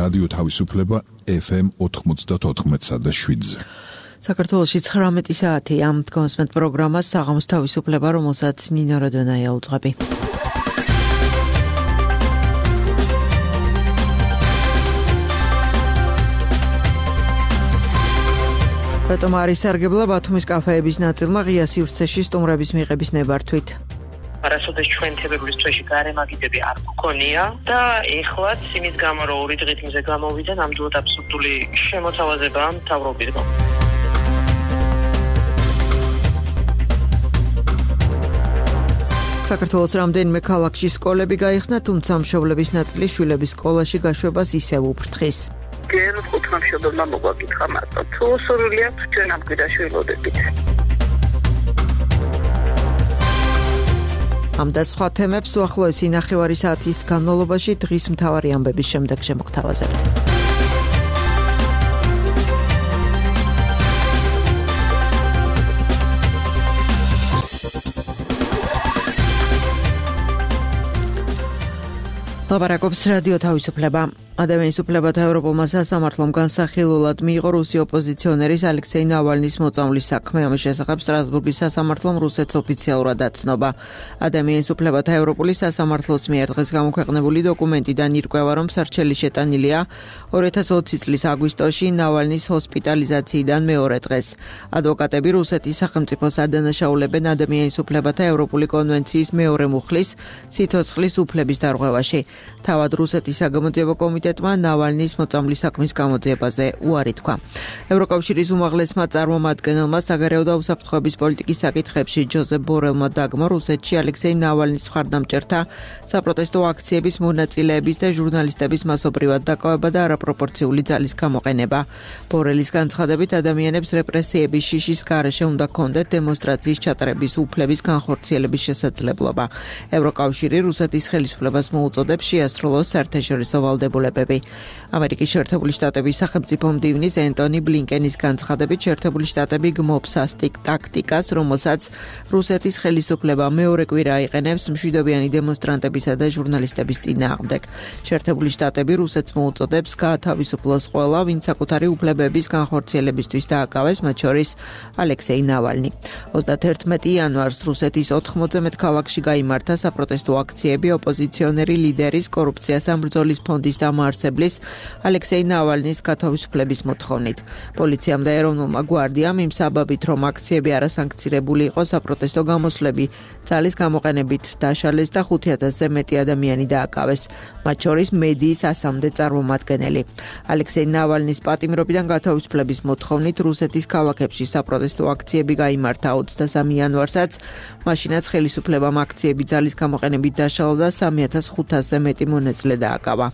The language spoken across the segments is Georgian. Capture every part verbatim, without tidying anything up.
რადიო თავისუფლება ეფ ემ ოთხმოცდაოთხ და შვიდზე. საქართველოში ცხრამეტი საათი ამ დგომსმენთ პროგრამას საღამოს თავისუფლება, რომელსაც ნინო როდონაია უძღვები. რატომ არის სარგებლა ბათუმის კაფეების ნაწილმა ღია სივრცეში სტუმრების მიღების ნებართვით? არასოდეს ჩვენ თებერვლის თვეში გარემაგიდები არ გქონია და ეხლაც იმის გამო რომ ორი დღით მზე გამოვიდა, ნამდვილად აბსურდული შემოთავაზებაა მთავრობისგან. საქართველოს რამდენიმე ქალაქში სკოლები გაიხსნა, თუმცა მშობლების ნაწილი შვილების სკოლაში გაშვებას ისევ უფრთხის. გეროთ ხუთმამშობელმა მოგვაკითხა მარტო, თუ სურვილი აქვს ჩვენ ამ კვირაში ველოდებით. ამ და სხვა თემებს უახლოესი ნახევარი საათის განმავლობაში დღის მთავარი ამბების შემდეგ შემოგთავაზებთ. ლაპარაკობს რადიო თავისუფლება. ადამიანის უფლებათა ევროპულმა სასამართლომ განსახილულად მიიღო რუსი ოპოზიციონერის ალექსეი ნავალნის მოწამვლის საქმე. ამის შესახებ სტრასბურგის სასამართლომ რუსეთს ოფიციალურად აცნობა. ადამიანის უფლებათა ევროპულის სასამართლოს მიერ დღეს გამოქვეყნებული დოკუმენტიდან ირკვევა, რომ სარჩელი შეტანილია ორი ათას ოცი წლის აგვისტოში ნავალნის ჰოსპიტალიზაციიდან მეორე დღეს. ადვოკატები რუსეთის სახელმწიფოს ადანაშაულებენ ადამიანის უფლებათა ევროპული კონვენციის მეორე მუხლის სიცოცხლის უფლების დარღვევაში. თავად რუსეთის საგამოძიებო კომიტეტმა ნავალნის მოწამვლის საქმის გამოძიებაზე უარი თქვა. ევროკავშირის უმაღლესმა წარმომადგენელმა საგარეო და უსაფრთხოების პოლიტიკის საკითხებში ჯოზეფ ბორელმა დაგმო რუსეთში ალექსეი ნავალნის მხარდამჭერთა საპროტესტო აქციების მონაწილეების და ჟურნალისტების მასობრივად დაკავება და არაპროპორციული ძალის გამოყენება. ბორელის განცხადებით, ადამიანებს რეპრესიების შიშის გარეშე უნდა ჰქონდეთ დემონსტრაციის ჩატარების უფლების განხორციელების შესაძლებლობა. ევროკავშირი რუსეთის ხელისუფლებას მოუწოდებს შეასრულოს საერთაშორისო ვალდებულებები. ამერიკის შეერთებული შტატების სახელმწიფო მდივნის ენტონი ბლინკენის განცხადებით, შეერთებული შტატები გმობს ასტიკ ტაქტიკას, რომელსაც რუსეთის ხელისუფლება მეორე კვირა აიყენებს მშვიდობიანი დემონსტრანტებისა და ჟურნალისტების წინააღმდეგ. შეერთებული შტატები რუსეთს მოუწოდებს გაათავისუფლოს ყველა, ვინც საკუთარი უფლებების განხორციელებისთვის დააკავეს, მათ შორის ალექსეი ნავალნი. ოცდაათერთმეტი იანვარს რუსეთის ოთხმოცზე მეტ ქალაქში გაიმართა საპროტესტო აქციები ოპოზიციონერი ლიდერის კორუფციასთან ბრძოლის ფონდის დამაარსებლის ალექსეი ნავალნის გათავისუფლების მოთხოვნით. პოლიციამ და ეროვნულმა გვარდიამ იმ საბაბით, რომ აქციები არასანქცირებული იყო, საპროტესტო გამოსვლები ძალის გამოყენებით დაშალეს და ხუთი ათასზე მეტი ადამიანი დააკავეს, მათ შორის მედიის ასამდე წარმომადგენელი. ალექსეი ნავალნის პატიმრობიდან გათავისუფლების მოთხოვნით რუსეთის ქალაქებში საპროტესტო აქციები გაიმართა ოცდასამი იანვარსაც, მაშინაც ხელისუფლებამ აქციები ძალის გამოყენებით დაშალა და სამი ათას ხუთასზე მეტი მონაწილე დააკავა.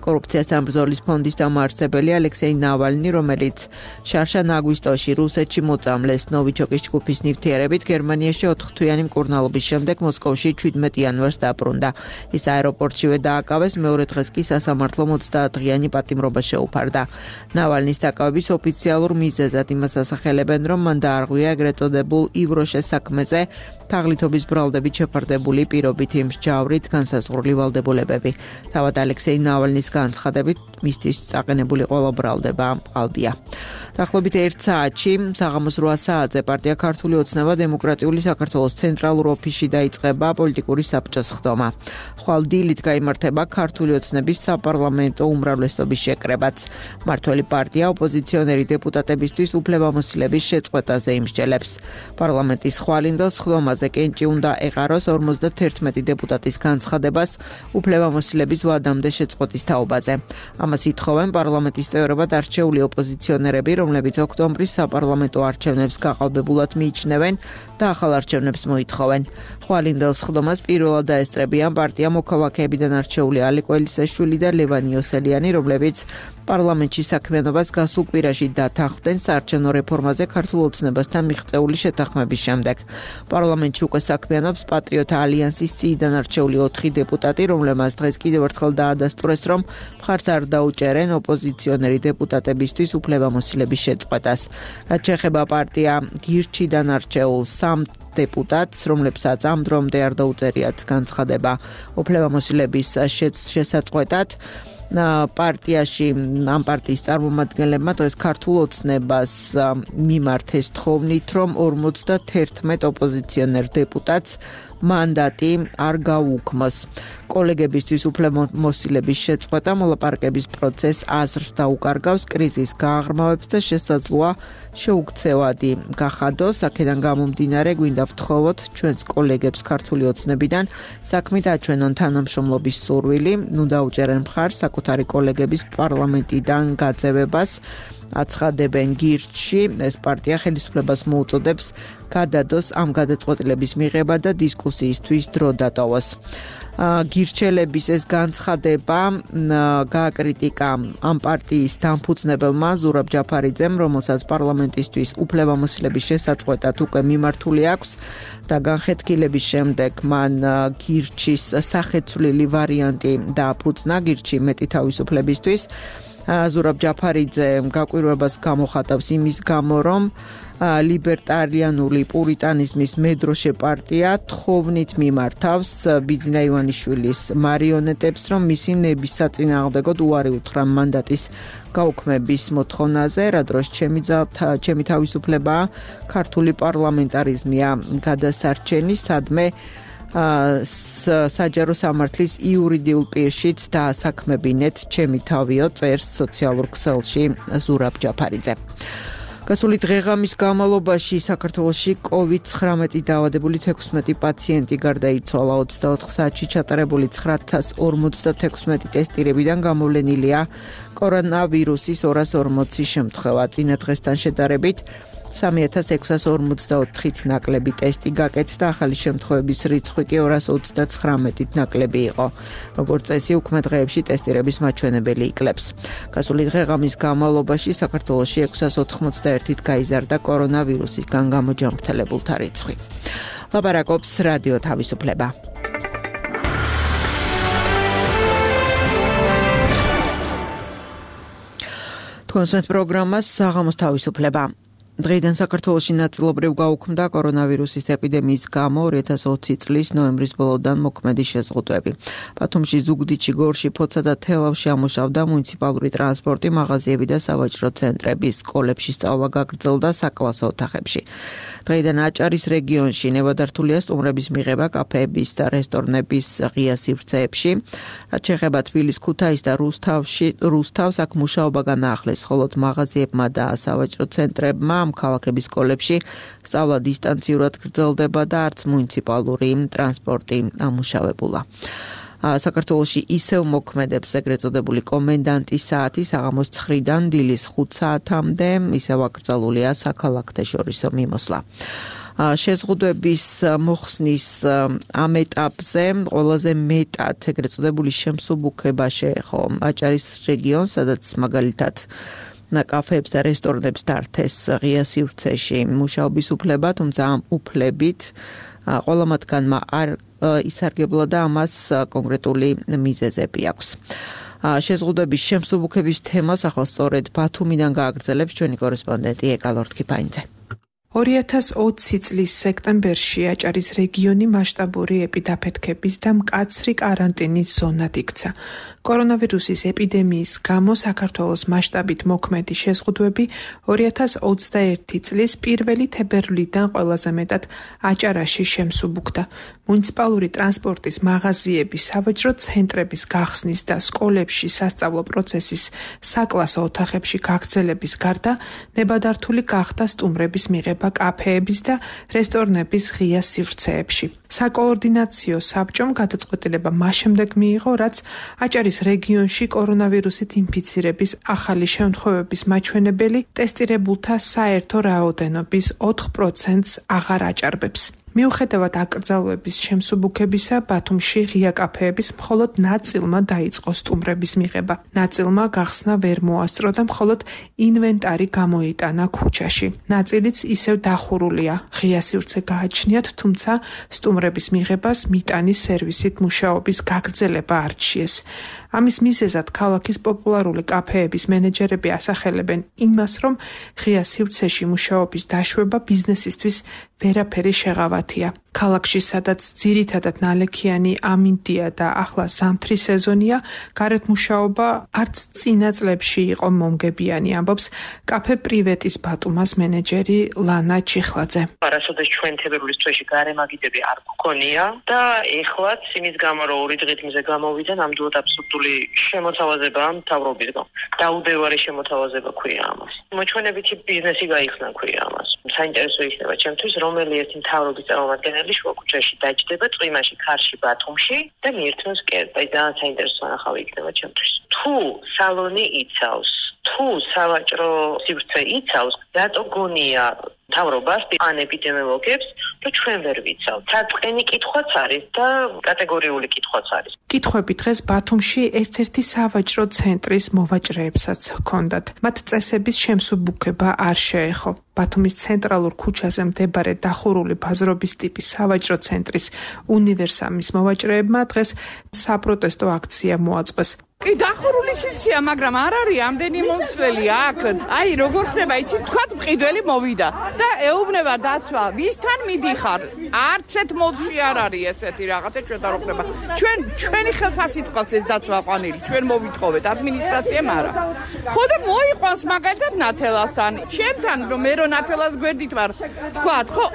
კორუფციასთან ბრძოლის ფონდის დამაარსებელი ალექსეი ნავალნი, რომელიც შარშან აგვისტოში რუსეთში მოწამლეს ნოვიჩოკის ჯგუფის ნივთიერებით, გერმანიაში ოთხთვიანი მკურნალობის შემდეგ მოსკოვში შვიდმეტი იანვარს დაბრუნდა. ის აეროპორტშივე დააკავეს, მეორე დღეს კი სასამართლომ ოცდაათდღიანი პატიმრობა შეუფარდა. ნავალნის დაკავების ოფიციალურ მიზეზად იმას ასახელებენ, რომ მან დაარღვია ეგრეთ წოდებულ ივროშეს საქმეზე თაღლითობის ბრალდებით შეფარდებული პირობით იმ მსჯავრით განსაზღვრული ვალდებულებები. თავად ალექსეი ნავალნის განცხადებით, მისთვის წაყენებული ყველა ბრალდება ყალბია. დაახლოებით ერთ საათში, საღამოს რვა საათზე პარტია ქართული ოცნება დემოკრატიული საქართველოს ცენტრალურ ოფისში დაიწყება პოლიტიკური საბჭოს ხდომა. ხვალ დილით გაიმართება ქართული ოცნების საპარლამენტო უმრავლესობის შეკრებაც. მმართველი პარტია ოპოზიციონერი დეპუტატებისთვის უფლებამოსილების შეწყვეტაზე იმსჯელებს. პარლამენტის ხვალინდელს ხდომაზე კენჭი უნდა ეყაროს ორმოცდათერთმეტი დეპუტატის განცხადებას უფლებამოსილების ვადამდე შეწყვეტის თაობაზე. ამას ითხოვენ პარლამენტის წევრებად არჩეული ოპოზიციონერები, რომლებიც ოქტომბრის საპარლამენტო არჩევნებს გაყალბებულად მიიჩნევენ და ახალ არჩევნებს მოითხოვენ. ხვალინდელს ხდომას პირველად დაესწრებიან პარტია მოქალაქეებიდან არჩეული ალი კველისაშვილი და ლევან იოსელიანი, რომლებიც პარლამენტში საქმიანობას გასულ კვირაში დათანხმდნენ საარჩევნო რეფორმაზე ქართულ ოცნებასთან მიღწეული შეთანხმების შემდეგ. პარლამენტში უკვე საქმიანობს პატრიოტთა ალიანსის წიიდან არჩეული ოთხი დეპუტატი, რომლებმაც დღეს კიდევ ერთხელ დაადასტურეს, რომ მხარს არ დაუჭერენ ოპოზიციონერი დეპუტატებისთვის უფლებამოსილების შეწყვეტას. რაც შეეხება პარტია გირჩიდან არჩეულ სამ დეპუტატს, რომლებსაც ამ დრომდე არ დაუწერიათ განცხადება უფლებამოსილების შესაწყვეტად, პარტიაში ამ პარტიის წარმომადგენლებმა დღეს ქართულ ოცნებას მიმართეს თხოვნით, რომ ორმოცდათერთმეტ ოპოზიციონერ დეპუტატს მანდატი არ გაუქმოს. კოლეგებისთვის უფლებამოსილების შეწყვეტა მოლაპარაკების პროცესს აზრს დაუკარგავს, კრიზისს გააღრმავებს და შესაძლოა შეუქცევადი გახადოს. აქედან გამომდინარე გვინდა ვთხოვოთ ჩვენს კოლეგებს ქართული ოცნებიდან საქმით აჩვენონ თანამშრომლობის სურვილი, ნუ დაუჭერენ მხარს საკუთარი კოლეგების პარლამენტიდან გაძევებას. აცხადებენ გირჩში, ეს პარტია ხელისუფლებას მოუწოდებს გადადოს ამ გადაწყვეტილების მიღება და დისკუსიისთვის დრო დატოვოს. გირჩელების ეს განცხადება გააკრიტიკა ამ პარტიის დამფუძნებელმა ზურაბ ჯაფარიძემ, რომელსაც პარლამენტისთვის უფლებამოსილების შესაწყვეტად უკვე მიმართული აქვს და განხეთქილების შემდეგ მან გირჩის სახეცვლილი ვარიანტი დააფუძნა გირჩი მეტი თავისუფლებისთვის. ზურაბ ჯაფარიძე გაკვირვებას გამოხატავს იმის გამო, რომ ლიბერტარიანული პურიტანიზმის მედროშე პარტია თხოვნით მიმართავს ბიძინა ივანიშვილის მარიონეტებს, რომ მისი ნების საწინააღმდეგოდ უარი უთხრა მანდატის გაუქმების მოთხოვნაზე, რა დროს ჩემი ჩემი თავისუფლებაა ქართული პარლამენტარიზმია გადასარჩენი, სადმე საჯარო სამართლის იურიდიულ პირშიც დაასაქმებინეთ ჩემი თავიო, წერს სოციალურ ქსელში ზურაბ ჯაფარიძე. გასული დღეღამის განმავლობაში საქართველოში კოვიდ ცხრამეტი დაავადებული თექვსმეტი პაციენტი გარდაიცვალა. ოცდაოთხ საათში ჩატარებული ცხრაათას ორმოცდათექვსმეტი ტესტირებიდან გამოვლენილია კორონავირუსის ორას ორმოცი შემთხვევა. წინა დღესთან შედარებით სამი ათას ექვსას ორმოცდაოთხით ნაკლები ტესტი გაკეთდა, ახალი შემთხვევების რიცხვი კი ორას ოცდაცხრამეტით ნაკლები იყო. როგორც წესი, უქმე დღეებში ტესტირების მაჩვენებელი იკლებს. გასული დღეღამის განმავლობაში საქართველოში ექვსას ოთხმოცდაერთით გაიზარდა კორონავირუსისგან გამოჯანმრთელებულთა რიცხვი. ლაპარაკობს რადიო თავისუფლება. თქვენს პროგრამას საღამოს თავისუფლება. დღეიდან საქართველოში ნაწილობრივ გაუქმდა კორონავირუსის ეპიდემიის გამო ორი ათას ოცი წლის ნოემბრის ბოლოდან მოქმედი შეზღუდვები. ბათუმში, ზუგდიდში, გორში, ფოცა და თელავში ამუშავდა მუნიციპალური ტრანსპორტი, მაღაზიები და სავაჭრო ცენტრები, სკოლებში სწავლა გაგრძელდა საკლასო ოთახებში. დღეიდან აჭარის რეგიონში ნებადართულია სტუმრების მიღება კაფეების და რესტორნების ღია სივრცეებში. რაც შეეხება თბილისს, ქუთაისს და რუსთავში, რუსთავს აქ მუშაობა განაახლეს, ხოლო მაღაზიებმა და სავაჭრო ცენტრებმა ამ ქალაქების სკოლებში სწავლა დისტანციურად გრძელდება და არც მუნიციპალური ტრანსპორტი ამუშავებულა. საქართველოში ისევ მოქმედებს ეგრეთ წოდებული კომენდანტის საათი საღამოს ცხრიდან დილის ხუთ საათამდე, ისევ აკრძალულია საქალაქთეშორისო მიმოსვლა. შეზღუდვების მოხსნის ამ ეტაპზე ყველაზე მეტად ეგრეთ წოდებული შემსუბუქება შეეხო აჭარის რეგიონს, სადაც მაგალითად კაფეებს და რესტორნებს დართეს ღია სივრცეში მუშაობის უფლება, თუმცა ამ უფლებით ყველა მათგანმა არ ისარგებლა და ამას კონკრეტული მიზეზები აქვს. შეზღუდვების შემსუბუქების თემას ახლა სწორედ ბათუმიდან გააგრძელებს ჩვენი კორესპონდენტი ეკა ლორთქიფაინძე. ორი ათას ოცი წლის სექტემბერში აჭარის რეგიონი მასშტაბური ეპიდაფეთქების და მკაცრი კარანტინის ზონად იქცა. კორონავირუსის ეპიდემიის გამო საქართველოს მასშტაბით მოქმედი შეზღუდვები ორი ათას ოცდაერთი წლის პირველი თებერვლიდან ყველაზე მეტად აჭარაში შემსუბუქდა. მუნიციპალური ტრანსპორტის მაღაზიების, სავაჭრო ცენტრების გახსნის და სკოლებში სასწავლო პროცესის საკლასო ოთახებში გაგრძელების გარდა ნებადართული გახდა სტუმრების მიღება კაფეების და რესტორნების ღია სივრცეებში. საკოორდინაციო საბჭომ გადაწყვეტილება მას შემდეგ მიიღო, რაც აჭარის რეგიონში კორონავირუსით ინფიცირების ახალი შემთხვევების მაჩვენებელი ტესტირებულთა საერთო რაოდენობის ოთხ პროცენტს აღარ აჭარბებს. მიუხედავად აკრძალვების შემსუბუქებისა, ბათუმში ღია კაფეების მხოლოდ ნაწილმა დაიწყო სტუმრების მიღება. ნაწილმა გახსნა ვერ მოასწრო და მხოლოდ ინვენტარი გამოიტანა ქუჩაში. ნაწილიც ისევ დახურულია. ღია სივრცე გააჩნიათ, თუმცა სტუმრების მიღებას მიტანის სერვისით მუშაობის გაგრძელება არჩიეს. ამის მიზეზად ქალაქის პოპულარული კაფეების მენეჯერები ასახელებენ იმას, რომ ღია სივრცეში მუშაობის დაშვება ბიზნესისთვის ვერაფერი შეღავათია. ქალაქში, სადაც ძირითადად ნალექიანი ამინდია და ახლა ზამთრის სეზონია, გარეთ მუშაობა არც წინა წლებში იყო მომგებიანი, ამბობს კაფე პრივეტის ბატუმას მენეჯერი ლანა ჩიხლაძე. არასოდეს ჩვენ თებერვლის თვეში გარემაგიდები არ გქონია და ეხლაც იმის გამო რომ ორი დღით მზე გამოვიდა, ნამდვილად აბსურდული შემოთავაზებაა მთავრობისგან. დაუდევარი შემოთავაზება ქვია ამას. მოჩვენებითი ბიზნესი გაიხსნა ქვია ამას. საინტერესო იქნება ჩემთვის, რომელი ერთი მთავრობის წარმომადგენელი შუაქუჩაში დაჯდება წვიმაში, ქარში, ბათუმში და მიირთმევს კერძს. აი ძალიან საინტერესო ანახავი იქნება ჩემთვის. თუ სალონი იცავს, თუ სავაჭრო სივრცე იცავს, რატო გონია მთავრობას ან ეპიდემიოლოგებს, რომ ჩვენ ვერ ვიცავთ. საწყენი კითხვაც არის და კატეგორიული კითხვაც არის. კითხვები დღეს ბათუმში ერთ-ერთი სავაჭრო ცენტრის მოვაჭრეებსაც ჰქონდათ. მათ წესების შემსუბუქება არ შეეხო. ბათუმის ცენტრალურ ქუჩაზე მდებარე დახურული ბაზრობის ტიპის სავაჭრო ცენტრის უნივერსამის მოვაჭრეებმა დღეს საპროტესტო აქცია მოაწყვეს. კი დახურული სიცია, მაგრამ არ არის ამდენი მომცველი აქ. აი როგორ ხდება, იცით, თქვა მყიდველი მოვიდა და ეუბნება დაცვა, ვისთან მიდიხარ? არც ერთ მოდში არ არის ესეთი რაღაცა ჩვენ და რო ხდება. ჩვენ ჩვენი ხელფასით ყავს ეს დაცვა ყვანილი, ჩვენ მოვითხოვეთ ადმინისტრაციამ არა. ხო და მოიყვანს მაგალითად ნათელასთან. ჩემთან რომ მე რო ნათელას გვერდით ვარ, თქვათ, ხო,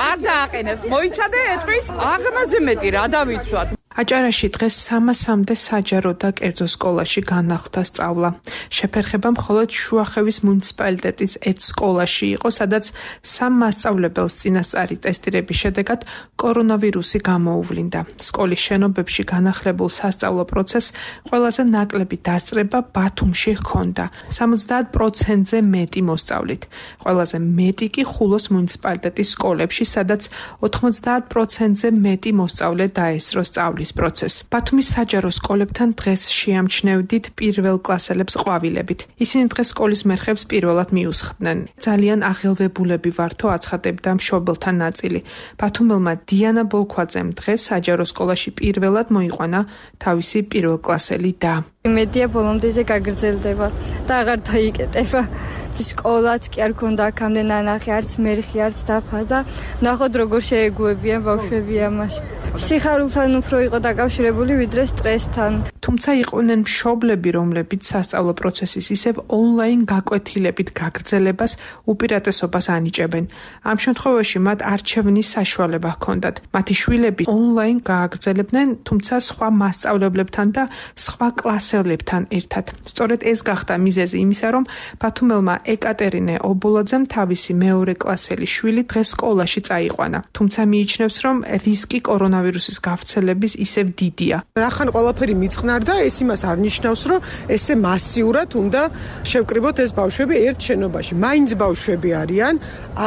არ დააყენებს, მოიცადე ეტყვის, აღმაზე მეტი რა დავიცვათ. აჭარაში დღეს სამასამდე საჯარო და კერძო სკოლაში განახლდა სწავლა. შეფერხება მხოლოდ შუახევის მუნიციპალიტეტის ერთ სკოლაში იყო, სადაც სამ მასწავლებელს წინასწარი ტესტირების შედეგად კორონავირუსი გამოუვლინდა. სკოლის შენობებში განახლებულ სასწავლო პროცესს ყველაზე ნაკლები დასწრება ბათუმში ჰქონდა, სამოცდაათ პროცენტზე მეტი მოსწავლით. ყველაზე მეტი კი ხულოს მუნიციპალიტეტის სკოლებში, სადაც ოთხმოცდაათ პროცენტზე მეტი მოსწავლე დაესწრო სწავლის პროცესს. ბათუმის საჯარო სკოლებთან დღეს შეამჩნევდით პირველ კლასელებს ყვავილებით. ისინი დღეს სკოლის მერხებს პირველად მიუსხდნენ. ძალიან აღელვებულები ვართო, აცხადებდა მშობელთა ნაწილი. ბათუმელმა დიანა ბოლქვაძემ დღეს საჯარო სკოლაში პირველად მოიყვანა თავისი პირველკლასელი და. მედია ბოლომდე გაგრძელდება და აღარ დაიკეტება. სკოლაც კი არ ქონდა აქამდე ნანახი, არც მერხი, არც დაფა და ნახოთ როგორ შეეგუებიან ბავშვები ამას. სიხარულთან უფრო იყო დაკავშირებული ვიდრე სტრესთან. თუმცა იყვნენ მშობლები, რომლებიც სასწავლო პროცესის ისევ ონლაინ გაკვეთილებით გაგრძელებას უპირატესობას ანიჭებენ. ამ შემთხვევაში მათ არჩევნის საშუალება ჰქონდათ. მათი შვილები ონლაინ გააგრძელებდნენ, თუმცა სხვა მასწავლებლებთან და სხვა კლასელებთან ერთად. სწორედ ეს გახდა მიზეზი იმისა, რომ ბათუმელმა ეკატერინე ობოლაძემ თავისი მეორე კლასელი შვილი დღეს სკოლაში წაიყვანა. თუმცა მიიჩნევს, რომ რისკი კორონავირუსის გავრცელების ისევ დიდია. რახან ყველაფერი მიწყნარდა, ეს იმას არ ნიშნავს, რომ ესე მასიურად უნდა შევკრიბოთ ეს ბავშვები ერთ შენობაში. მაინც ბავშვები არიან,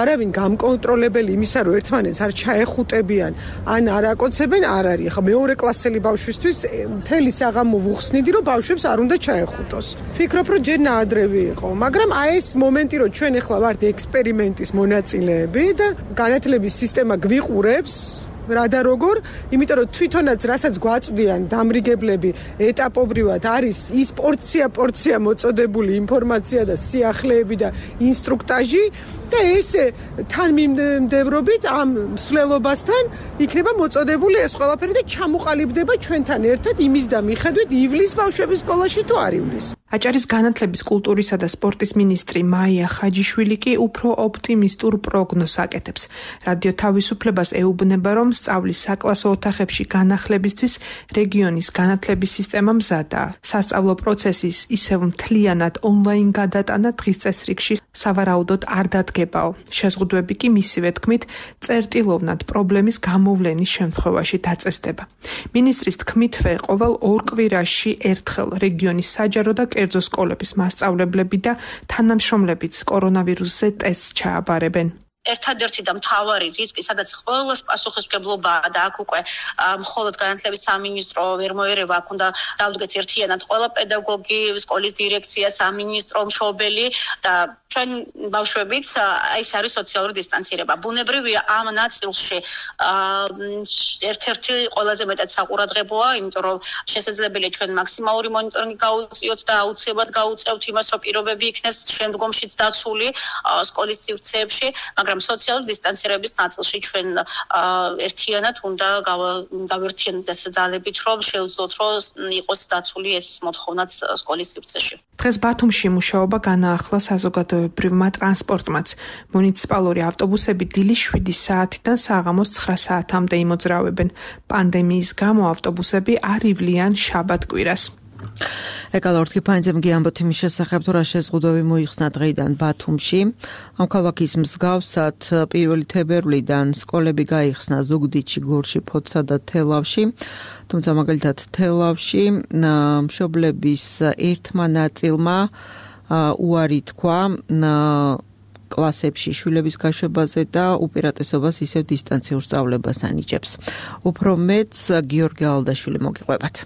არავინ გამკონტროლებელი იმისა, რომ ერთმანეთს არ ჩაეხუტებიან, ან არ აკოცებენ, არ არის. ხა მეორე კლასელი ბავშვისთვის მთელი საღამო ვუხსნიდი, რომ ბავშვებს არ უნდა ჩაეხუტოს. ფიქრობ, რომ ჯერ ნაადრევი იყო, მაგრამ აი ეს მომენტი, რომ ჩვენ ახლა ვართ ექსპერიმენტის მონაწილეები და განათლების სისტემა გვიყურებს რა და როგორ, იმიტომ რომ თვითონაც რასაც გვაწვდიან დამრიგებლები ეტაპობრივად არის ის პორცია პორცია მოწოდებული ინფორმაცია და სიახლეები და ინსტრუქტაჟი და ესე თანმიმდევრობით ამ მსვლელობასთან იქნება მოწოდებული ეს ყველაფერი და ჩამოყალიბდება ჩვენთან ერთად იმის და მიხედვით ივლის ბავშვების სკოლაში თუ არ ივლის. აჭარის განათლების, კულტურისა და სპორტის მინისტრი მაია ხაჯიშვილი კი უფრო ოპტიმისტურ პროგნოზს აკეთებს. რადიო თავისუფლებას ეუბნება, რომ სწავლის საკლასო ოთახებში განახლებისთვის რეგიონის განათლების სისტემა მზადაა. სასწავლო პროცესის ისევ მთლიანად ონლაინ გადატანა დღის წესრიგში სავარაუდოდ არ დადგებაო. შეზღუდვები კი მისივე თქმით წერტილოვნად პრობლემის გამოვლენის შემთხვევაში დაწესდება. მინისტრის თქმითვე ყოველ ორ კვირაში ერთხელ რეგიონის საჯარო და კერძო სკოლების მასწავლებლები და თანამშრომლებიც კორონავირუსზე ტესტს ჩააბარებენ. ერთადერთი და მთავარი რისკი, სადაც ყველას პასუხისმგებლობაა და აქ უკვე მხოლოდ განათლების სამინისტრო ვერ მოერევა, აქ უნდა დავდგეთ ერთიანად ყველა პედაგოგი, სკოლის დირექცია, სამინისტრო, მშობელი და ჩვენ ბავშვებიც ეს არის სოციალური დისტანცირება. ბუნებრივია ამ ნაწილში ერთ-ერთი ყველაზე მეტად საყურადღებოა, იმიტომ რომ შესაძლებელია ჩვენ მაქსიმალური მონიტორინგი გავუწიოთ და აუცილებლად გავუწევთ იმას, რომ პირობები იქნეს შემდგომშიც დაცული სკოლის სივრცეებში, მაგრამ მაგრამ სოციალური დისტანცირების ნაწილში ჩვენ ერთიანად უნდა გავერთიანდეთ ძალებით, რომ შევძლოთ, რომ იყოს დაცული ეს მოთხოვნაც სკოლის სივრცეში. დღეს ბათუმში მუშაობა განაახლა საზოგადოებრივმა ტრანსპორტმაც. მუნიციპალური ავტობუსები დილის შვიდი საათიდან საღამოს ცხრა საათამდე იმოძრავებენ. პანდემიის გამო ავტობუსები არ ივლიან შაბათ-კვირას. ეკალორთი ფაინძემგი ამბობთ იმის შესახებ, თუ რა შეზღუდვები მოიხსნა დღეიდან ბათუმში. ამ ქალაქის მსგავსად პირველი თებერვლიდან სკოლები გაიხსნა ზუგდიდში, გორში, ფოთსა და თელავში. თუმცა მაგალითად თელავში მშობლების ერთმა ნაწილმა უარი თქვა კლასებში შვილების გაშვებაზე და უპირატესობას ისევ დისტანციურ სწავლებას ანიჭებს. უფრო მეტს გიორგი ალდაშვილი მოგიყვებათ.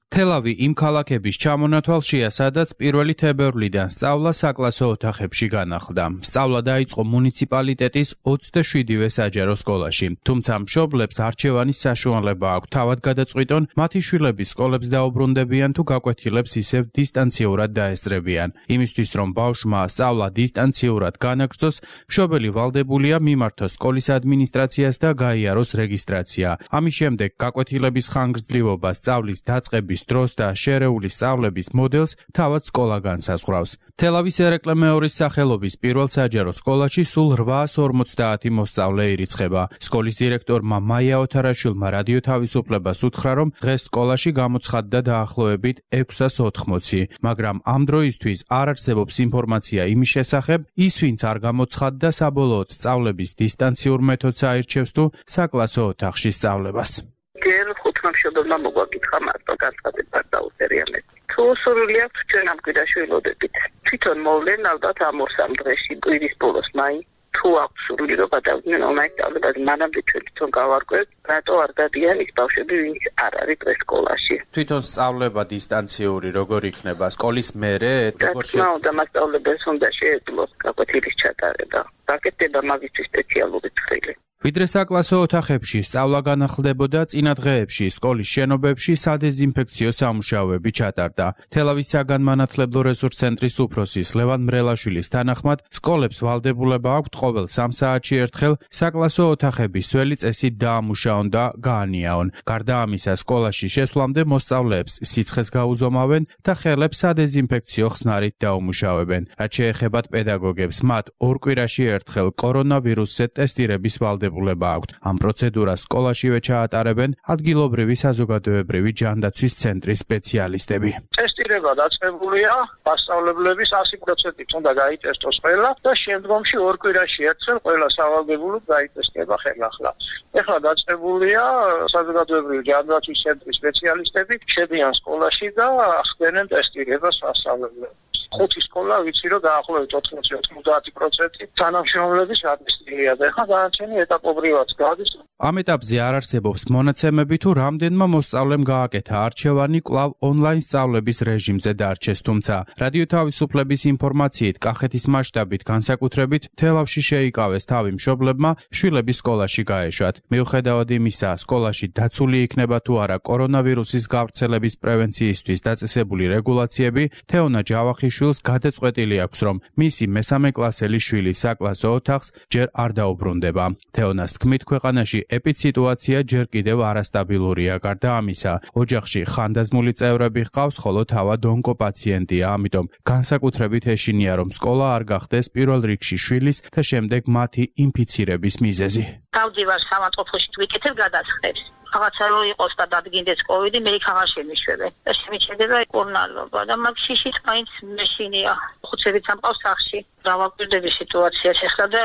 თელავი იმ ქალაქების ჩამონათვალშია, სადაც პირველი თებერვლიდან სწავლა საკლასო ოთახებში განახლდა. სწავლა დაიწყო მუნიციპალიტეტის ოცდაშვიდივე საჯარო სკოლაში. თუმცა მშობლებს არჩევანის საშუალება აქვთ თავად გადაწყვიტონ, მათი შვილები სკოლებს დაუბრუნდებიან თუ გაკვეთილებს ისევ დისტანციურად დაესწრებიან. იმისთვის, რომ ბავშვმა სწავლა დისტანციურად განაგრძოს, მშობელი ვალდებულია მიმართოს სკოლის ადმინისტრაციას და გაიაროს რეგისტრაცია. ამის შემდეგ გაკვეთილების ხანგრძლივობა, სწავლის დაწყების დროს და შერეული სწავლების მოდელს თავად სკოლა განსაზღვრავს. თელავის ერეკლე მეორის სახელობის პირველ საჯარო სკოლაში სულ რვაას ორმოცდაათი მოსწავლე ირიცხება. სკოლის დირექტორმა მაია ოთარაშვილმა რადიო თავისუფლებას უთხრა, რომ დღეს სკოლაში გამოცხადდა დაახლოებით ექვსას ოთხმოცი, მაგრამ ამ დროისთვის არ არსებობს ინფორმაცია იმის შესახებ, ის ვინც არ გამოცხადდა საბოლოოდ სწავლების დისტანციურ მეთოდს აირჩევს თუ საკლასო ოთახში სწავლებას. ჯერ ხუთმა მშობელმა მოგვაკითხა მარტო განცხადება დაუსერიანეთ. თუ სურვილი აქვს ჩვენ ამ კვირაში ველოდებით. თვითონ მოვლენ ალბათ ამ ორ-სამ დღეში კვირის ბოლოს მაინც თუ აქვს სურვილი რომ გადავიდნენ ონლაინ სწავლებაზე, მანამდე ჩვენ თვითონ გავარკვევთ, რატო არ დადიან ის ბავშვები, ვინც არ არის დღეს სკოლაში. თვითონ სწავლება დისტანციური როგორ იქნება? სკოლის მერე როგორ შეეძლო? და მასწავლებელს უნდა შეეძლოს გაკვეთილის ჩატარება. გაკეთდება მაგისთვის სპეციალური წვრილი. ვიდრე საკლასო ოთახებში სწავლა განახლდებოდა, წინა დღეებში სკოლის შენობებში სადეზინფექციო სამუშაოები ჩატარდა. თელავის საგანმანათლებლო რესურს ცენტრის უფროსის ლევან მრელაშვილის თანახმად, სკოლებს ვალდებულება აქვთ ყოველ სამ საათში ერთხელ საკლასო ოთახების სველი წესით დაამუშაონ და გაანიაონ. გარდა ამისა, სკოლაში შესვლამდე მოსწავლეებს სიცხეს გაუზომავენ და ხელებს სადეზინფექციო ხსნარით დაუმუშავებენ. რაც შეეხებათ პედაგოგებს, მათ ორ კვირაში ერთხელ კორონავირუსზე ტესტირების ვალდებულება აქვთ. ამ პროცედურას სკოლაშივე ჩაატარებენ ადგილობრივი საზოგადოებრივი ჯანდაცვის ცენტრის სპეციალისტები. ტესტირება დაწყებულია, მასწავლებლების ასი პროცენტით უნდა გაიტესტოს ყველა და შემდგომში ორ კვირაში ერთხელ ყველა სავალდებულოდ გაიტესტება ხელახლა. ეხლა დაწყებულია საზოგადოებრივი ჯანდაცვის ცენტრის სპეციალისტები, შედიან სკოლაში და ხდენენ ტესტირებას მასწავლებლებს. ხუთი სკოლა ვიცი რომ დაახლოებით ოთხმოცი ოცდაათი პროცენტი თანამშრომლების ატესტირია და ეხლა განაჩენი ეტაპობრივად გადის. ამ ეტაპზე არ არსებობს მონაცემები თუ რამდენმა მოსწავლემ გააკეთა არჩევანი კვლავ ონლაინ სწავლების რეჟიმზე დარჩეს, თუმცა რადიო თავისუფლების ინფორმაციით კახეთის მასშტაბით განსაკუთრებით თელავში შეიკავეს თავი მშობლებმა შვილების სკოლაში გაეშვათ. მიუხედავად იმისა, სკოლაში დაცული იქნება თუ არა კორონავირუსის გავრცელების პრევენციისთვის დაწესებული რეგულაციები, თეონა ჯავახიშვილს გადაწყვეტილი აქვს, რომ მისი მესამე კლასელი შვილი საკლასო ოთახს ჯერ არ დაუბრუნდება. თეონას თქმით, ქვეყანაში ეპიდსიტუაცია ჯერ კიდევ არასტაბილურია. გარდა ამისა, ოჯახში ხანდაზმული წევრები ჰყავს, ხოლო თავად ონკოპაციენტია, ამიტომ განსაკუთრებით ეშინია, რომ სკოლა არ გახდეს პირველ რიგში შვილის და შემდეგ მათი ინფიცირების მიზეზი. დავდივარ სამაწყოფლში ვიკეთებ გადასხდებს. რაღაცა რო იყოს და დადგინდეს კოვიდი, მე იქ აღარ შემიშვებენ. და შემიჩნდება კორონალობა და მაგ შიშიც მაინც მეშინია. ხუთშევით სამყავს სახში. დავაკვირდები სიტუაციას ეხლა და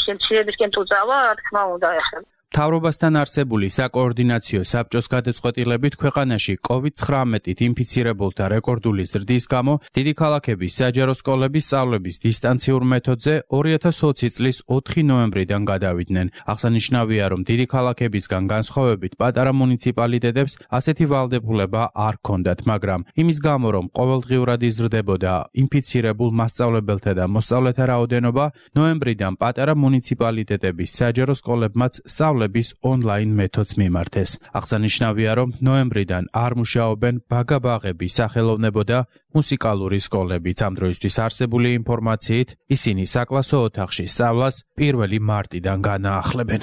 შემცირებისკენ თუ წავა, რა თქმა უნდა ეხლა. მთავრობასთან არსებული საკოორდინაციო საბჭოს გადაწყვეტილებით ქვეყანაში კოვიდ ცხრამეტით ინფიცირებულთა რეკორდული ზრდის გამო დიდი ქალაქების საჯარო სკოლების სწავლების დისტანციურ მეთოდზე ორი ათას ოცი წლის ოთხი ნოემბრიდან გადავიდნენ. აღსანიშნავია, რომ დიდი ქალაქებისგან განსხვავებით პატარა მუნიციპალიტეტებს ასეთი ვალდებულება არ ჰქონდათ, მაგრამ იმის გამო, რომ ყოველდღიურად იზრდებოდა ინფიცირებულ მასწავლებელთა და მოსწავლეთა რაოდენობა, ნოემბრიდან პატარა მუნიციპალიტეტების საჯარო სკოლებმაც სწავლების დასწავლების ონლაინ მეთოდს მიმართეს. აღსანიშნავია, რომ ნოემბრიდან არ მუშაობენ ბაგა-ბაღების სახელოვნებო და მუსიკალური სკოლებიც. ამ დროისთვის არსებული ინფორმაციით ისინი საკლასო ოთახში სწავლას პირველი მარტიდან განაახლებენ.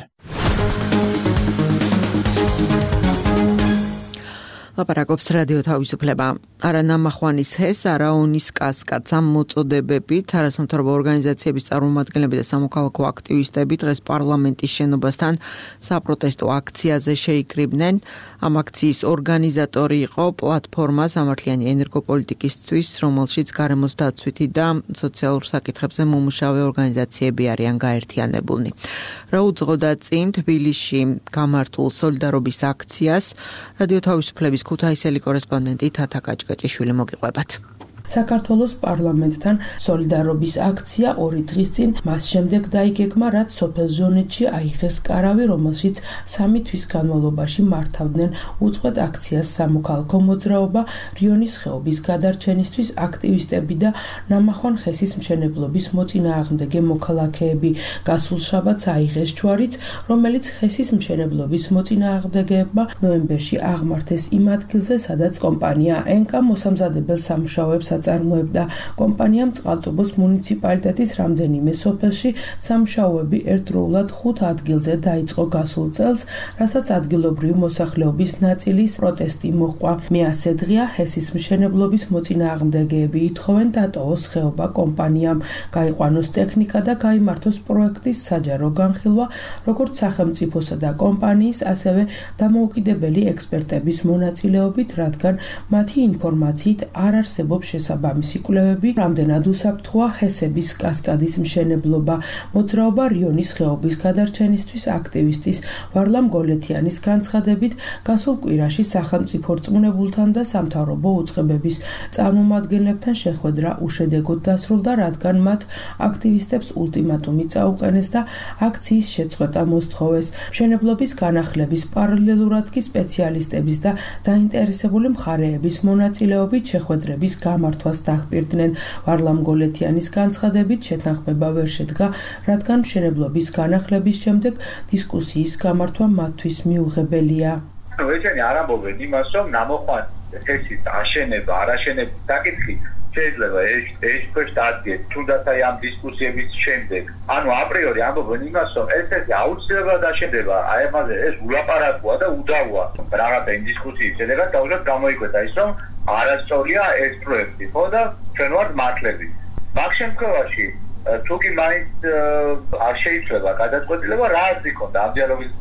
ლაპარაკობს რადიო თავისუფლება. არა ნამახვანის ჰეს, არა ონის კასკადს ამ მოწოდებებით არასამთავრობო ორგანიზაციების წარმომადგენლები და სამოქალაქო აქტივისტები დღეს პარლამენტის შენობასთან საპროტესტო აქციაზე შეიკრიბნენ. ამ აქციის ორგანიზატორი იყო პლატფორმა სამართლიანი ენერგოპოლიტიკისთვის, რომელშიც გარემოს დაცვითი და სოციალურ საკითხებზე მომუშავე ორგანიზაციები არიან გაერთიანებულნი. რა უძღოდა წინ თბილისში გამართულ სოლიდარობის აქციას, რადიო თავისუფლების ქუთაისელი კორესპონდენტი თათა კაჭკაჭიშვილი მოგიყვებათ. საქართველოს პარლამენტთან სოლიდარობის აქცია ორი დღის წინ მას შემდეგ დაიგეგმა, რაც სოფელ ჟონეთში აიღეს კარავი, რომელშიც სამი თვის განმავლობაში მართავდნენ უწყვეტ აქციას სამოქალაქო მოძრაობა, რიონის ხეობის გადარჩენისთვის აქტივისტები და ნამახვან ხესის მშენებლობის მოწინააღმდეგე მოქალაქეები. გასულ შაბათს აიღეს ჯვარიც, რომელიც ხესის მშენებლობის მოწინააღმდეგეებმა ნოემბერში აღმართეს იმ ადგილზე, სადაც კომპანია ენკა მოსამზადებელ სამუშაოებს აწარმოებდა. კომპანიამ წყალტუბოს მუნიციპალიტეტის რამდენიმე სოფელში სამუშაოები ერთდროულად ხუთ ადგილზე დაიწყო გასულ წელს, რასაც ადგილობრივი მოსახლეობის ნაწილის პროტესტი მოჰყვა. მეასე დღეა ჰესის მშენებლობის მოწინააღმდეგეები ითხოვენ დატოვოს ხეობა კომპანიამ, გაიყვანოს ტექნიკა და გაიმართოს პროექტის საჯარო განხილვა, როგორც სახელმწიფოსა და კომპანიის, ასევე დამოუკიდებელი ექსპერტების მონაწილეობით, რადგან მათი ინფორმაციით არ არსებობს შესაბამისი კვლევები, რამდენად უსაფრთხოა ჰესების კასკადის მშენებლობა. მოძრაობა რიონის ხეობის გადარჩენისთვის აქტივისტის ვარლამ გოლეთიანის განცხადებით, გასულ კვირაში სახელმწიფო რწმუნებულთან და სამთავრობო უწყებების წარმომადგენლებთან შეხვედრა უშედეგოდ დასრულდა, რადგან მათ აქტივისტებს ულტიმატუმი წაუყენეს და აქციის შეწყვეტა მოსთხოვეს. მშენებლობის განახლების პარალელურად კი სპეციალისტების და დაინტერესებული მხარეების მონაწილეობით შეხვედრების გამართვას დახპირდნენ. ვარლამ გოლეთიანის განცხადებით შეთანხმება ვერ შედგა, რადგან მშენებლობის განახლების შემდეგ დისკუსიის გამართვა მათთვის მიუღებელია. ნუ ესენი არ ამბობენ იმას, რომ ნამოხვანი ჰესის აშენება, არაშენების საკითხი შეიძლება ეს ეს ქვეშ დადგეს, თუნდაც აი ამ დისკუსიების შემდეგ. ანუ აპრიორი ამბობენ იმას, რომ ეს ეს აუცილებლად აშენდება, აი ამაზე ეს ულაპარაკოა და უდავოა. რაღაცა იმ დისკუსიის შედეგად დაუშვათ გამოიკვეთა ის, რომ არასწორია ეს პროექტი, ხო და ჩვენ ვართ მართლები. მაგ შემთხვევაში თუ კი მაინც არ შეიძლება გადაწყვეტილება რა არის იქონდა ამ დიალოგის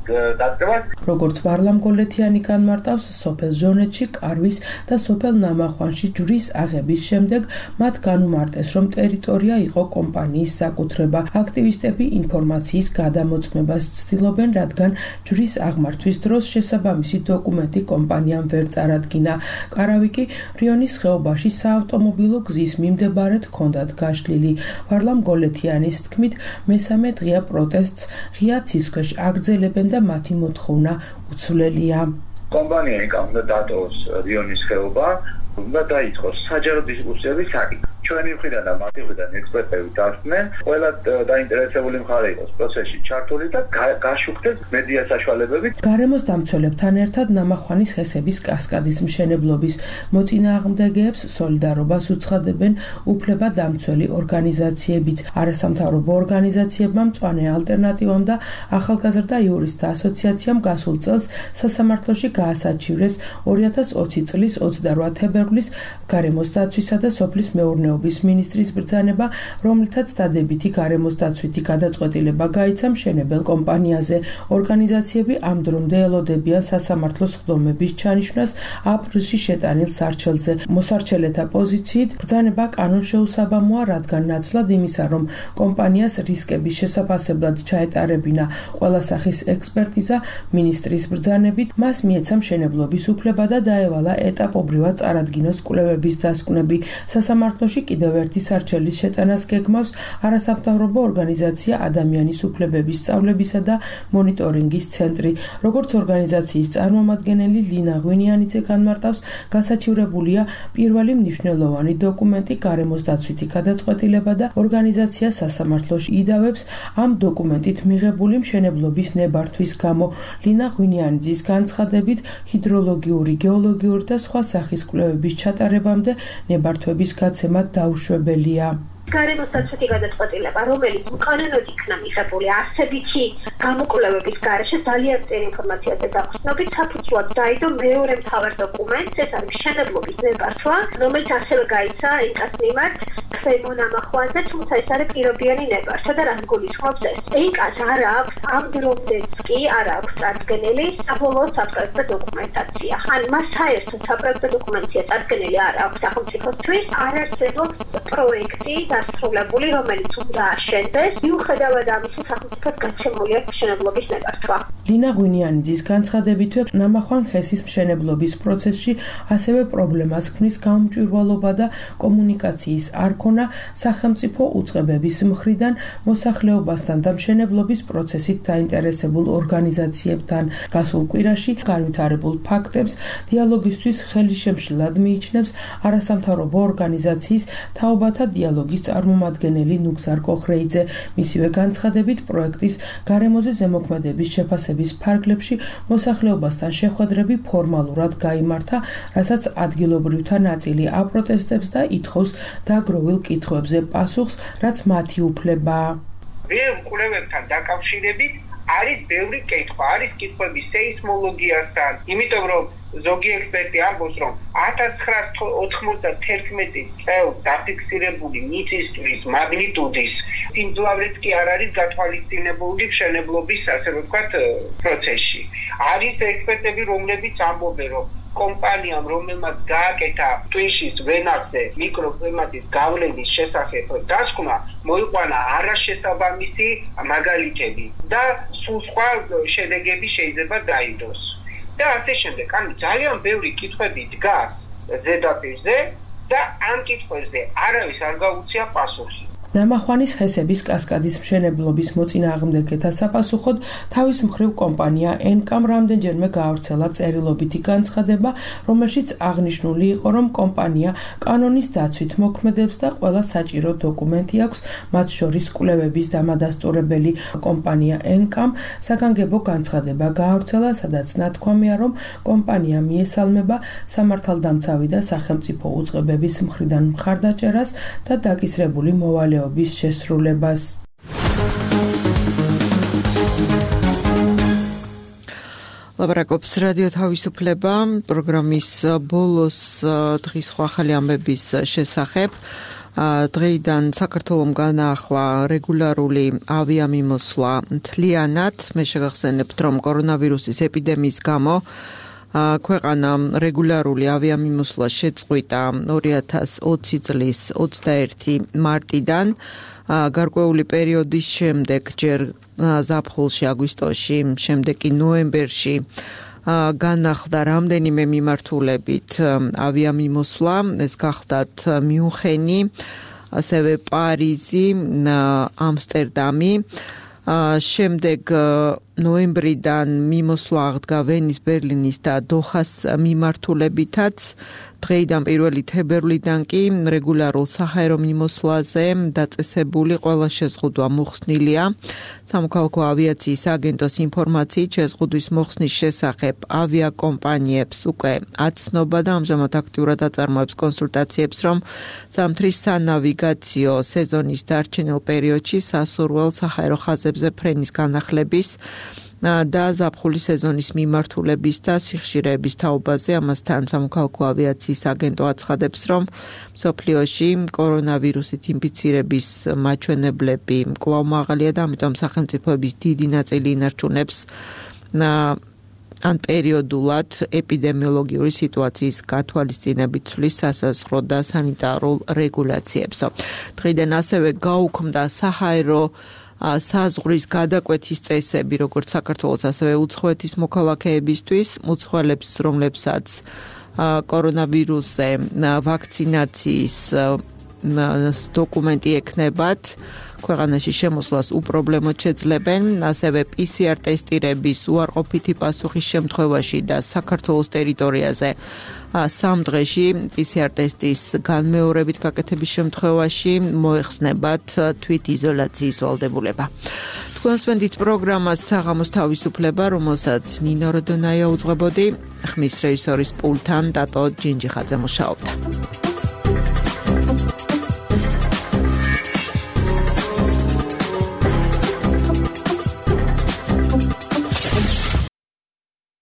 დაწყებას. როგორც ვარლამ გოლეთიანი განმარტავს, სოფელ ჟონეთში კარვის და სოფელ ნამახვანში ჯვრის აღების შემდეგ მათ განუმარტეს, რომ ტერიტორია იყო კომპანიის საკუთრება. აქტივისტები ინფორმაციის გადამოწმებას ცდილობენ, რადგან ჯვრის აღმართვის დროს შესაბამისი დოკუმენტი კომპანიამ ვერ წარადგინა. კარავი კი რიონის ხეობაში საავტომობილო გზის მიმდებარედ ჰქონდათ გაშლილი. ვარლამ გოლეთიანის თქმით, მესამე დღეა პროტესტს ღია ცის ქვეშ აგრძელებენ და მათი მოთხოვნა უცვლელია. კომპანია ეკა უნდა დატოვოს რიონის ხეობა, უნდა დაიწყოს საჯარო დისკუსიების საკითხი. ჩვენი მხრიდან და მათი მხრიდან ექსპერტები დასწნენ, ყველა დაინტერესებული მხარე იყოს პროცესში ჩართული და გაშუქდეს მედია საშუალებებით. გარემოს დამცველებთან ერთად ნამახვანის ჰესების კასკადის მშენებლობის მოწინააღმდეგეებს სოლიდარობას უცხადებენ უფლება დამცველი ორგანიზაციებიც. არასამთავრობო ორგანიზაციებმა მწვანე ალტერნატივამ და ახალგაზრდა იურისტთა ასოციაციამ გასულ წელს სასამართლოში გაასაჩივრეს ორი ათას ოცი წლის ოცდარვა თებერვლის გარემოს დაცვისა და სოფლის მეურნეობის მინისტრის ბრძანება, რომლითაც დადებითი გარემოს დაცვითი გადაწყვეტილება გაიცა მშენებელ კომპანიაზე. ორგანიზაციები ამ დრომდე ელოდებიან სასამართლოს სხდომების ჩანიშვნას აპრილში შეტანილ სარჩელზე. მოსარჩელეთა პოზიციით ბრძანება კანონშეუსაბამოა, რადგან ნაცვლად იმისა, რომ კომპანიას რისკების შესაფასებლად ჩაეტარებინა ყველა სახის ექსპერტიზა, მინისტრის ბრძანებით მას მიეცა მშენებლობის უფლება და დაევალა ეტაპობრივად წარადგინოს კვლევების დასკვნები. სასამართლოში კიდევ ერთი სარჩელის შეტანას გეგმავს არასამთავრობო ორგანიზაცია ადამიანის უფლებების სწავლებისა და მონიტორინგის ცენტრი. როგორც ორგანიზაციის წარმომადგენელი ლინა ღვინიანიძე განმარტავს, გასაჩივრებულია პირველი მნიშვნელოვანი დოკუმენტი გარემოს დაცვითი გადაწყვეტილება და ორგანიზაცია სასამართლოში იდავებს ამ დოკუმენტით მიღებული მშენებლობის ნებართვის გამო. ლინა ღვინიანიძის განცხადებით, ჰიდროლოგიური, გეოლოგიური და სხვა სახის კვლევების ჩატარებამდე ნებართვების გაცემა დაუშვებელია. გარემოს დაცვითი გადაწყვეტილება, რომელიც უკანონოდ იქნა მიღებული არსებითი გამოკვლევების გარეშე ძალიან წერი ინფორმაციაზე დაყრდნობით საფუძვლად დაიდო მეორე მთავარ დოკუმენტს, ეს არის მშენებლობის ნებართვა, რომელიც ასევე გაიცა ინკას მიმართ ქვემო ნამახვაზე, თუმცა ეს არის პირობიანი ნებართვა და რას გულისხმობს ეს? ინკას არ აქვს ამ დრომდეც კი არ აქვს წარდგენილი საბოლოო საპროექტო დოკუმენტაცია. ან მას საერთოდ საპროექტო დოკუმენტაცია წარდგენილი არ აქვს სახელმწიფოსთვის, არ არსებობს პროექტი დასრულებული, რომელიც უნდა აშენდეს. მიუხედავად ამისა, სახელმწიფოს გაცემული აქვს მშენებლობის ნებართვა. ლინა ღვინიანიძის განცხადებითვე ნამახვან ხესის მშენებლობის პროცესში ასევე პრობლემას ქმნის გაუმჭვირვალობა და კომუნიკაციის არ ქონა სახელმწიფო უწყებების მხრიდან მოსახლეობასთან და მშენებლობის პროცესით დაინტერესებულ ორგანიზაციებთან. გასულ კვირაში განვითარებულ ფაქტებს დიალოგისთვის ხელისშემშლად მიიჩნევს არასამთავრობო ორგანიზაციის თაობათა დიალოგის წარმომადგენელი ნუგზარ კოხრეიძე. მისივე განცხადებით, პროექტის გარემოზე ზემოქმედების შეფასების ფარგლებში მოსახლეობასთან შეხვედრები ფორმალურად გაიმართა, რასაც ადგილობრივთა ნაწილი აპროტესტებს და ითხოვს დაგროვილ კითხვებზე პასუხს, რაც მათი უფლებაა. ბევრ კვლევებთან დაკავშირებით არის ბევრი კითხვა, არის კითხვები სეისმოლოგიასთან, იმიტომ რომ ზოგი ექსპერტი ამბობს, რომ ათას ცხრაასი ოთხმოცდათერთმეტი წელს დაფიქსირებული მიწისძვრის მაგნიტუდის სიმძლავრეც კი არ არის გათვალისწინებული მშენებლობის, ასე ვთქვათ, პროცესში. არის ექსპერტები, რომლებიც ამბობენ, რომ კომპანიამ, რომელმაც გააკეთა ტვიშის ვენახზე მიკროკლიმატის გავლენის შესახებ დასკვნა, მოიყვანა არაშესაბამისი მაგალითები და სულ სხვა შედეგები შეიძლება დაიდოს. და ასე შემდეგ, ანუ ძალიან ბევრი კითხვები დგას ზედაპირზე და ამ კითხვებზე არავის არ გაუწია პასუხი. ნამახვანის ხესების კასკადის მშენებლობის მოწინააღმდეგეთა საპასუხოდ თავის მხრივ კომპანია ენკამ რამდენჯერმე გაავრცელა წერილობითი განცხადება, რომელშიც აღნიშნული იყო, რომ კომპანია კანონის დაცვით მოქმედებს და ყველა საჭირო დოკუმენტი აქვს, მათ შორის კვლევების დამადასტურებელი. კომპანია ენკამ საგანგებო განცხადება გაავრცელა, სადაც ნათქვამია, რომ კომპანია მიესალმება სამართალდამცავი და სახელმწიფო უწყებების მხრიდან მხარდაჭერას და დაკისრებული მოვალეობას შესრულებას. ლაპარაკობს რადიო თავისუფლება პროგრამის ბოლოს დღის ახალი ამბების შესახებ. დღეიდან საქართველომ განაახლა რეგულარული ავიამიმოსვლა მთლიანად. მე შეგახსენებთ, რომ კორონავირუსის ეპიდემიის გამო ქვეყანა რეგულარული ავიამიმოსვლა შეწყვიტა ორი ათას ოცი წლის ოცდაერთი მარტიდან. გარკვეული პერიოდის შემდეგ ჯერ ზაფხულში, აგვისტოში, შემდეგ კი ნოემბერში განახლდა რამდენიმე მიმართულებით ავიამიმოსვლა. ეს გახდათ მიუნხენი, ასევე პარიზი, ამსტერდამი. შემდეგ ნოემბრიდან მიმოსვლა აღდგა ვენის, ბერლინის და დოხას მიმართულებითაც. დღეიდან პირველი თებერვლიდან კი რეგულარულ საჰაერო მიმოსვლაზე დაწესებული ყველა შეზღუდვა მოხსნილია. სამოქალაქო ავიაციის აგენტოს ინფორმაციით შეზღუდვის მოხსნის შესახებ ავიაკომპანიებს უკვე აცნობა და ამჟამად აქტიურად აწარმოებს კონსულტაციებს, რომ ზამთრის სანავიგაციო სეზონის დარჩენილ პერიოდში სასურველ საჰაერო ხაზებზე ფრენის განახლების და ზაფხულის სეზონის მიმართულების და სიხშირეების თაობაზე. ამასთან სამოქალაქო ავიაციის აგენტო აცხადებს, რომ მსოფლიოში კორონავირუსით ინფიცირების მაჩვენებლები კვლავ მაღალია და ამიტომ სახელმწიფოების დიდი ნაწილი ინარჩუნებს ან პერიოდულად ეპიდემიოლოგიური სიტუაციის გათვალისწინებით ცვლის სასაზღვრო და სანიტარულ რეგულაციებს. დღიდან ასევე გაუქმდა საჰაერო საზღვრის გადაკვეთის წესები, როგორც საქართველოს, ასევე უცხოეთის მოქალაქეებისთვის, უცხოელებს, რომლებსაც კორონავირუსზე ვაქცინაციის დოკუმენტი ექნებათ, ქვეყანაში შემოსვლას უპრობლემოდ შეძლებენ, ასევე პი სი არ ტესტირების უარყოფითი პასუხის შემთხვევაში და საქართველოს ტერიტორიაზე სამ დღეში პი სი არ ტესტის განმეორებით გაკეთების შემთხვევაში მოეხსნებათ თვითიზოლაციის ვალდებულება. თქვენ სვენდით პროგრამას საღამოს თავისუფლება, რომელსაც ნინო როდონაია უძღვებოდი, ხმის რეჟისორის პულტთან დატო ჯინჯიხაძე მუშაობდა.